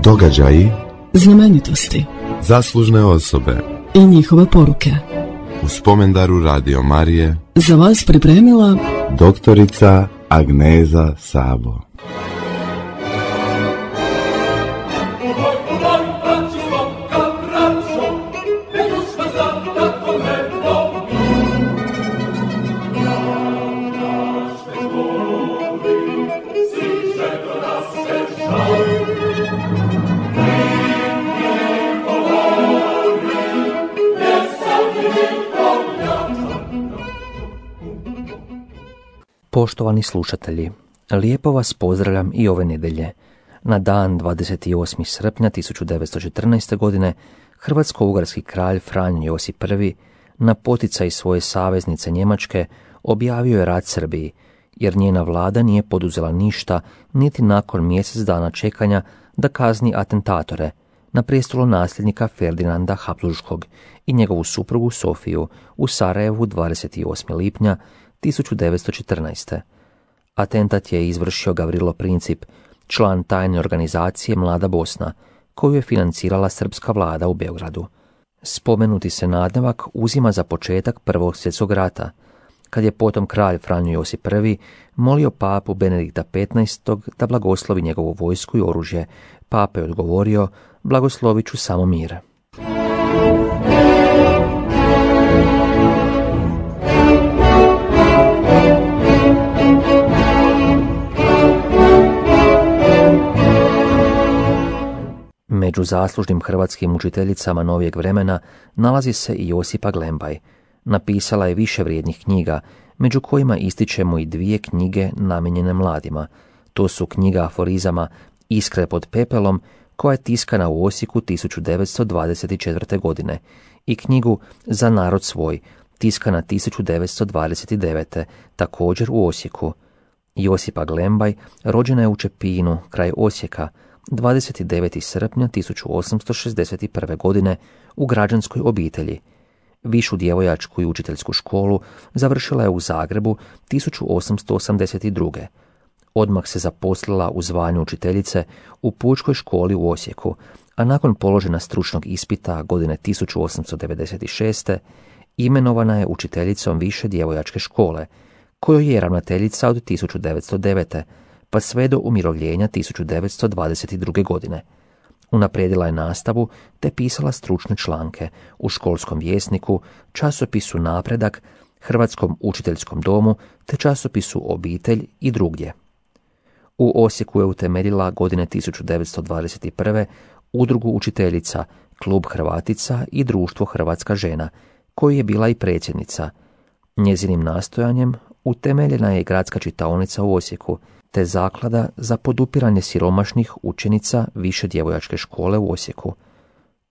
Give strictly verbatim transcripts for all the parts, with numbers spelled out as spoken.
Događaji, znamenitosti, zaslužne osobe i njihove poruke. U spomendaru Radio Marije Za vas pripremila doktorica Agneza Sabo. Poštovani slušatelji, lijepo vas pozdravljam i ove nedjelje. Na dan dvadeset osmog srpnja tisuću devetsto četrnaeste. godine hrvatsko-ugarski kralj Franjo Josip Prvi na poticaj svoje saveznice Njemačke objavio je rat Srbiji, jer njena vlada nije poduzela ništa niti nakon mjesec dana čekanja da kazni atentatore na prijestolo nasljednika Ferdinanda Habsburškog i njegovu suprugu Sofiju u Sarajevu dvadeset osmog lipnja tisuću devetsto četrnaeste. Atentat je izvršio Gavrilo Princip, član tajne organizacije Mlada Bosna, koju je financirala srpska vlada u Beogradu. Spomenuti se nadnevak uzima za početak Prvog svjetskog rata, kad je potom kralj Franjo Josip Prvi molio papu Benedikta petnaestog. da blagoslovi njegovu vojsku i oružje. Papa je odgovorio: blagoslovit ću samo mir. Među zaslužnim hrvatskim učiteljicama novijeg vremena nalazi se i Josipa Glembaj. Napisala je više vrijednih knjiga, među kojima ističemo i dvije knjige namijenjene mladima. To su knjiga aforizama Iskre pod pepelom, koja je tiskana u Osijeku tisuću devetsto dvadeset četvrte. godine, i knjigu Za narod svoj, tiskana tisuću devetsto dvadeset devete. također u Osijeku. Josipa Glembaj rođena je u Čepinu, kraj Osijeka, dvadeset devetog srpnja tisuću osamsto šezdeset prve. godine u građanskoj obitelji. Višu djevojačku i učiteljsku školu završila je u Zagrebu tisuću osamsto osamdeset druge. Odmah se zaposlila u zvanju učiteljice u Pučkoj školi u Osijeku, a nakon položena stručnog ispita godine tisuću osamsto devedeset šeste. imenovana je učiteljicom više djevojačke škole, kojoj je ravnateljica od tisuću devetsto devete. pa sve do umirovljenja tisuću devetsto dvadeset druge. godine. Unaprijedila je nastavu te pisala stručne članke u Školskom vjesniku, časopisu Napredak, Hrvatskom učiteljskom domu te časopisu Obitelj i drugdje. U Osijeku je utemeljila godine tisuću devetsto dvadeset prve. udrugu učiteljica, Klub Hrvatica i Društvo Hrvatska žena, koju je bila i predsjednica. Njezinim nastojanjem utemeljena je gradska čitaonica u Osijeku, te zaklada za podupiranje siromašnih učenica više djevojačke škole u Osijeku.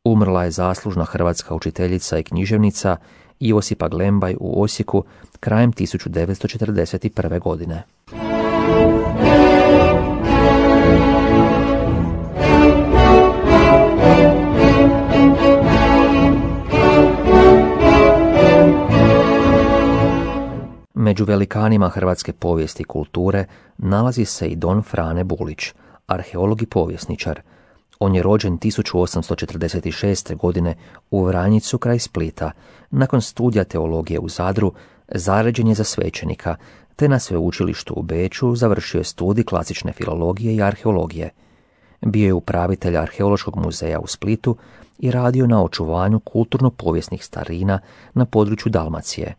Umrla je zaslužna hrvatska učiteljica i književnica Josipa Glembaj u Osijeku krajem tisuću devetsto četrdeset prve. godine. Među velikanima hrvatske povijesti i kulture nalazi se i don Frane Bulić, arheolog i povjesničar. On je rođen tisuću osamsto četrdeset šeste. godine u Vranjicu kraj Splita. Nakon studija teologije u Zadru zaređen je za svećenika, te na sveučilištu u Beču završio je studij klasične filologije i arheologije. Bio je upravitelj arheološkog muzeja u Splitu i radio na očuvanju kulturno-povijesnih starina na području Dalmacije.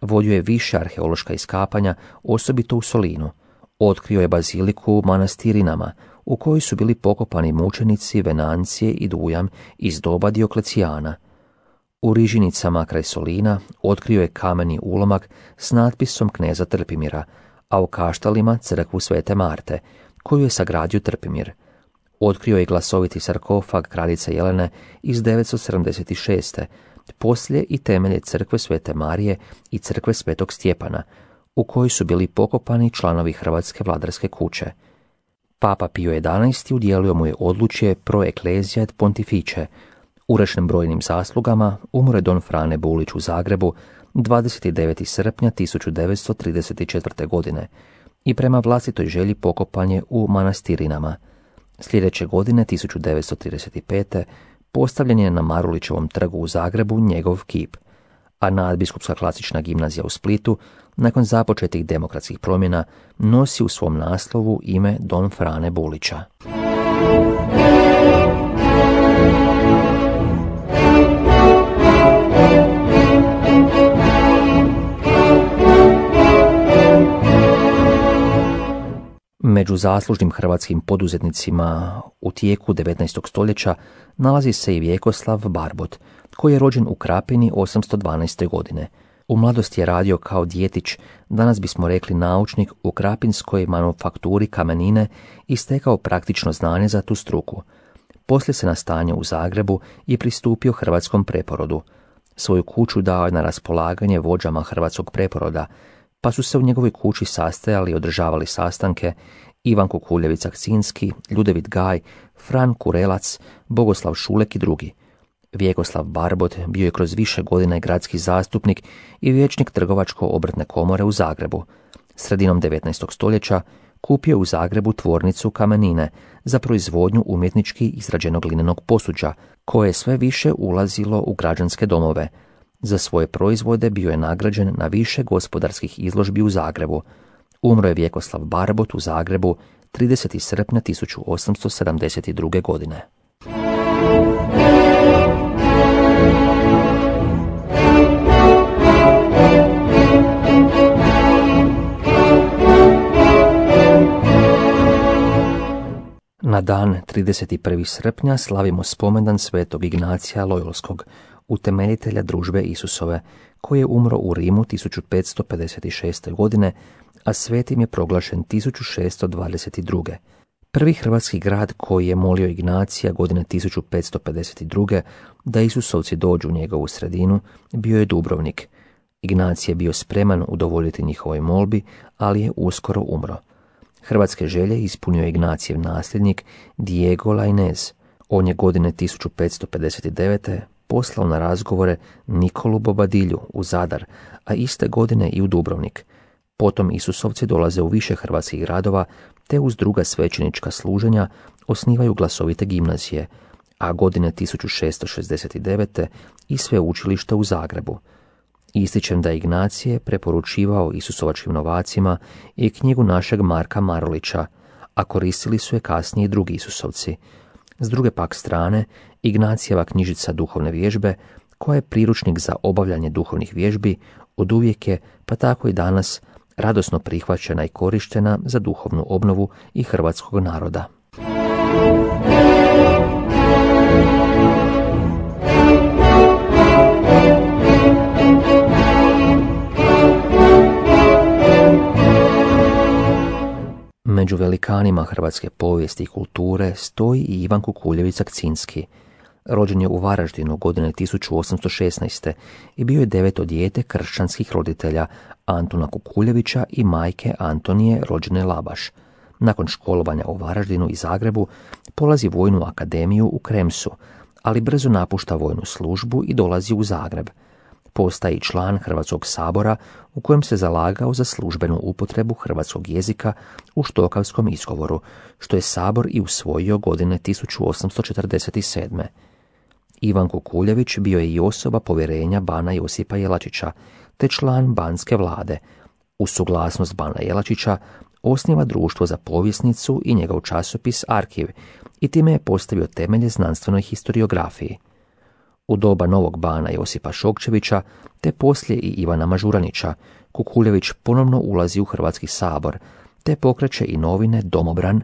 Vodio je više arheološka iskapanja, osobito u Solinu. Otkrio je baziliku u Manastirinama, u kojoj su bili pokopani mučenici Venancije i Dujam iz doba Dioklecijana. U Rižinicama kraj Solina otkrio je kameni ulomak s natpisom kneza Trpimira, a u Kaštalima crkvu Svete Marte, koju je sagradio Trpimir. Otkrio je glasoviti sarkofag kraljice Jelene iz devetsto sedamdeset šeste. Poslije i temelje crkve Svete Marije i crkve Svetog Stjepana, u kojoj su bili pokopani članovi Hrvatske vladarske kuće. Papa Pio jedanaesti. udjelio mu je odlučje Pro Ecclesia et Pontifice. Urešen brojnim zaslugama umre don Frane Bulić u Zagrebu dvadeset devetog srpnja tisuću devetsto trideset četvrte. godine i prema vlastitoj želji pokopan je u Manastirinama. Sljedeće godine, tisuću devetsto trideset pete. postavljen je na Marulićevom trgu u Zagrebu njegov kip, a nadbiskupska klasična gimnazija u Splitu, nakon započetih demokratskih promjena, nosi u svom naslovu ime Don Frane Bulića. Među zaslužnim hrvatskim poduzetnicima u tijeku devetnaestog stoljeća nalazi se i Vjekoslav Barbot, koji je rođen u Krapini osamsto dvanaeste. godine. U mladosti je radio kao djetić, danas bismo rekli naučnik, u krapinskoj manufakturi kamenine i stekao praktično znanje za tu struku. Poslije se nastanio u Zagrebu i pristupio hrvatskom preporodu. Svoju kuću dao je na raspolaganje vođama hrvatskog preporoda, pa su se u njegovoj kući sastajali i održavali sastanke Ivan Kukuljević-Akcinski, Ljudevit Gaj, Fran Kurelac, Bogoslav Šulek i drugi. Vjekoslav Barbot bio je kroz više godina i gradski zastupnik i vijećnik Trgovačko-obrtne komore u Zagrebu. Sredinom devetnaestog stoljeća kupio u Zagrebu tvornicu kamenine za proizvodnju umjetnički izrađenog linenog posuđa, koje je sve više ulazilo u građanske domove. Za svoje proizvode bio je nagrađen na više gospodarskih izložbi u Zagrebu. Umro je Vjekoslav Barbot u Zagrebu tridesetog srpnja tisuću osamsto sedamdeset druge. godine. Na dan trideset prvog srpnja slavimo spomendan svetog Ignacija Lojolskog, utemeljitelja družbe Isusove, koji je umro u Rimu tisuću petsto pedeset šeste. godine, a svetim je proglašen tisuću šesto dvadeset druge. Prvi hrvatski grad koji je molio Ignacija godine tisuću petsto pedeset druge. da Isusovci dođu u njegovu sredinu bio je Dubrovnik. Ignacij je bio spreman udovoljiti njihovoj molbi, ali je uskoro umro. Hrvatske želje ispunio je Ignacijev nasljednik Diego Lainez. On je godine tisuću petsto pedeset devete. poslao na razgovore Nikolu Bobadilju u Zadar, a iste godine i u Dubrovnik. Potom Isusovci dolaze u više hrvatskih gradova, te uz druga svećenička služenja osnivaju glasovite gimnazije, a godine tisuću šesto šezdeset devete. i sveučilište u Zagrebu. Ističem da je Ignacije preporučivao Isusovačkim novacima i knjigu našeg Marka Marulića, a koristili su je kasnije i drugi Isusovci. S druge pak strane, Ignacijeva knjižica Duhovne vježbe, koja je priručnik za obavljanje duhovnih vježbi, oduvijek je, pa tako i danas, radosno prihvaćena i korištena za duhovnu obnovu i hrvatskog naroda. Među velikanima hrvatske povijesti i kulture stoji i Ivan Kukuljević-Akcinski. Rođen je u Varaždinu godine tisuću osamsto šesnaeste. i bio je deveto dijete kršćanskih roditelja Antuna Kukuljevića i majke Antonije rođene Labaš. Nakon školovanja u Varaždinu i Zagrebu polazi vojnu akademiju u Kremsu, ali brzo napušta vojnu službu i dolazi u Zagreb. Postaje član Hrvatskog sabora u kojem se zalagao za službenu upotrebu hrvatskog jezika u štokavskom izgovoru, što je sabor i usvojio godine tisuću osamsto četrdeset sedme. Ivan Kukuljević bio je i osoba povjerenja bana Josipa Jelačića, te član banske vlade. Uz suglasnost bana Jelačića osniva društvo za povjesnicu i njegov časopis Arkiv i time je postavio temelje znanstvenoj historiografiji. U doba novog bana Josipa Šokčevića, te poslije i Ivana Mažuranića, Kukuljević ponovno ulazi u Hrvatski sabor, te pokreće i novine Domobran.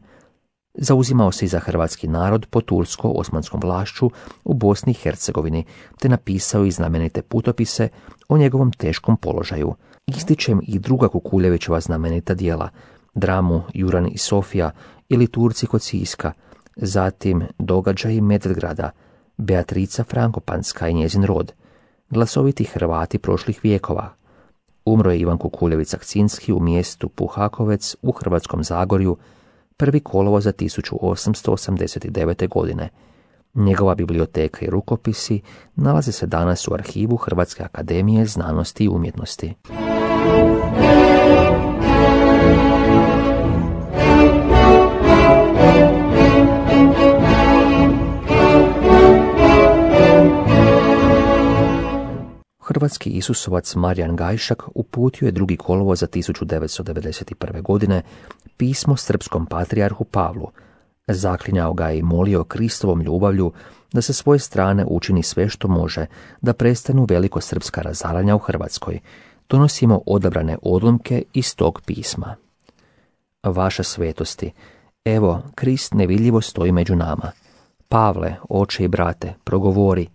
Zauzimao se i za hrvatski narod pod tursko-osmanskom vlašću u Bosni i Hercegovini, te napisao i znamenite putopise o njegovom teškom položaju. Ističem i druga Kukuljevićeva znamenita djela, dramu Juran i Sofija ili Turci kod Siska, zatim Događaji Medvedgrada, Beatrica Frankopanska i njezin rod, glasoviti Hrvati prošlih vijekova. Umro je Ivan Kukuljević-Akcinski u mjestu Puhakovec u Hrvatskom Zagorju prvi kolovoza tisuću osamsto osamdeset devete. godine. Njegova biblioteka i rukopisi nalaze se danas u arhivu Hrvatske akademije znanosti i umjetnosti. hrvatski Isusovac Marijan Gajšak uputio je drugi kolovoza tisuću devetsto devedeset prve. godine pismo srpskom patrijarhu Pavlu. Zaklinjao ga je i molio Kristovom ljubavlju da sa svoje strane učini sve što može da prestanu velikosrpska razaranja u Hrvatskoj. Donosimo odabrane odlomke iz tog pisma. Vaša svetosti, evo, Krist nevidljivo stoji među nama. Pavle, oče i brate, progovori.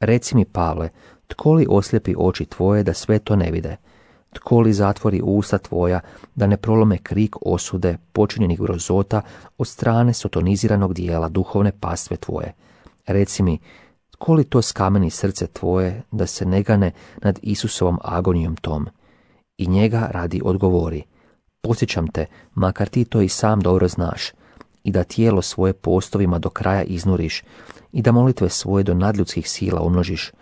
Reci mi, Pavle, tko li oslijepi oči tvoje da sve to ne vide? Tko li zatvori usta tvoja da ne prolome krik osude počinjenih grozota od strane sotoniziranog dijela duhovne pastve tvoje? Reci mi, tko li to skameni srce tvoje da se ne gane nad Isusovom agonijom tom? I njega radi odgovori. Posjećam te, makar ti to i sam dobro znaš, i da tijelo svoje postovima do kraja iznuriš, i da molitve svoje do nadljudskih sila umnožiš,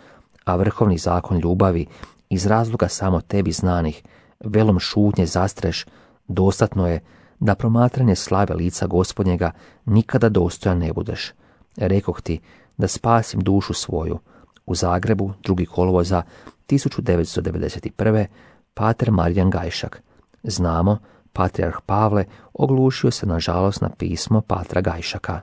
a vrhovni zakon ljubavi, iz razloga samo tebi znanih, velom šutnje zastreš, dostatno je da promatranje slave lica Gospodnjega nikada dostojan ne budeš. Rekoh ti da spasim dušu svoju. U Zagrebu, drugi kolovoza tisuću devetsto devedeset prve. pater Marijan Gajšak. Znamo, patrijarh Pavle oglušio se nažalost na pismo patra Gajšaka.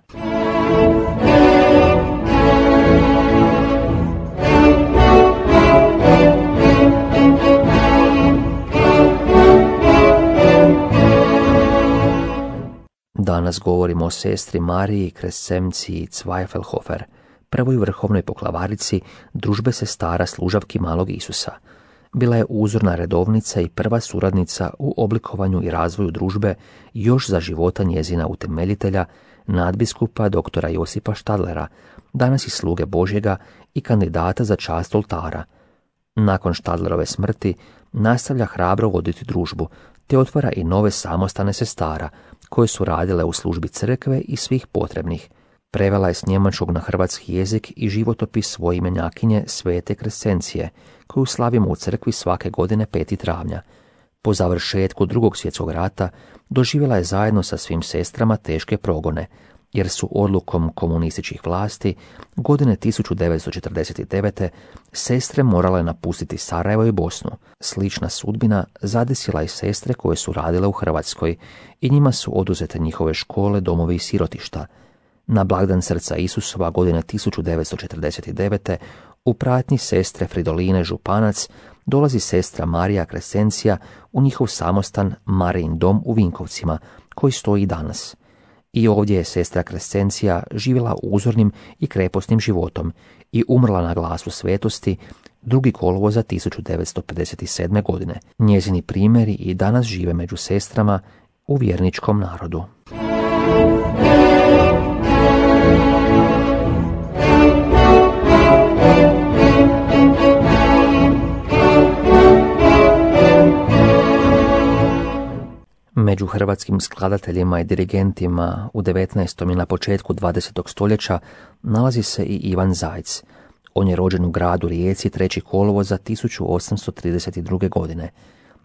Danas govorimo o sestri Mariji Krescenciji Zweifelhofer, prvoj vrhovnoj poklavarici družbe sestara služavki malog Isusa. Bila je uzorna redovnica i prva suradnica u oblikovanju i razvoju družbe još za života njezina utemeljitelja, nadbiskupa doktora Josipa Štadlera, danas i sluge Božjega i kandidata za čast oltara. Nakon Štadlerove smrti nastavlja hrabro voditi družbu, te otvara i nove samostane sestara, koje su radile u službi crkve i svih potrebnih. Prevela je s njemačkog na hrvatski jezik i životopis svoje imenjakinje Svete Krescencije, koju slavimo u crkvi svake godine petog travnja. Po završetku Drugog svjetskog rata doživjela je zajedno sa svim sestrama teške progone, jer su odlukom komunističkih vlasti godine tisuću devetsto četrdeset devete. sestre morale napustiti Sarajevo i Bosnu. Slična sudbina zadesila i sestre koje su radile u Hrvatskoj i njima su oduzete njihove škole, domovi i sirotišta. Na blagdan srca Isusova godine tisuću devetsto četrdeset devete. u pratnji sestre Fridoline Županac dolazi sestra Marija Krescencija u njihov samostan Marijin dom u Vinkovcima, koji stoji i danas. I ovdje je sestra Krescencija živjela uzornim i kreposnim životom i umrla na glasu svetosti drugi kolovoza tisuću devetsto pedeset sedme. godine. Njezini primjeri i danas žive među sestrama u vjerničkom narodu. Među hrvatskim skladateljima i dirigentima u devetnaestom i na početku dvadesetog stoljeća nalazi se i Ivan Zajc. On je rođen u gradu Rijeci trećeg kolovoza tisuću osamsto trideset druge. godine.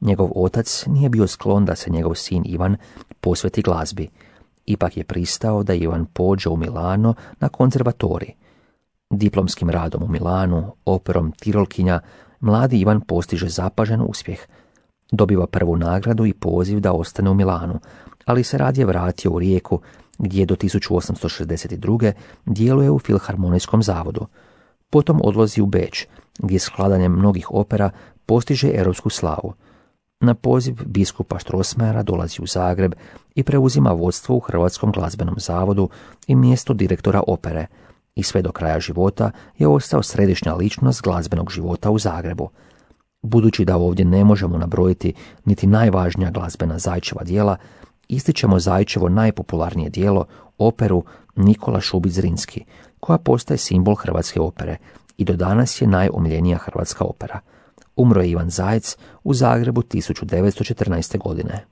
Njegov otac nije bio sklon da se njegov sin Ivan posveti glazbi. Ipak je pristao da Ivan pođe u Milano na konzervatorij. Diplomskim radom u Milanu, operom Tirolkinja, mladi Ivan postiže zapažen uspjeh. Dobiva prvu nagradu i poziv da ostane u Milanu, ali se radije vratio u Rijeku, gdje do tisuću osamsto šezdeset druge. djeluje u Filharmonijskom zavodu. Potom odlazi u Beč, gdje skladanjem mnogih opera postiže europsku slavu. Na poziv biskupa Strossmayera dolazi u Zagreb i preuzima vodstvo u Hrvatskom glazbenom zavodu i mjesto direktora opere, i sve do kraja života je ostao središnja ličnost glazbenog života u Zagrebu. Budući da ovdje ne možemo nabrojiti niti najvažnija glazbena Zajčeva djela, ističemo Zajčevo najpopularnije djelo, operu Nikola Šubić Zrinski, koja postaje simbol hrvatske opere i do danas je najomiljenija hrvatska opera. Umro je Ivan Zajc u Zagrebu tisuću devetsto četrnaeste. godine.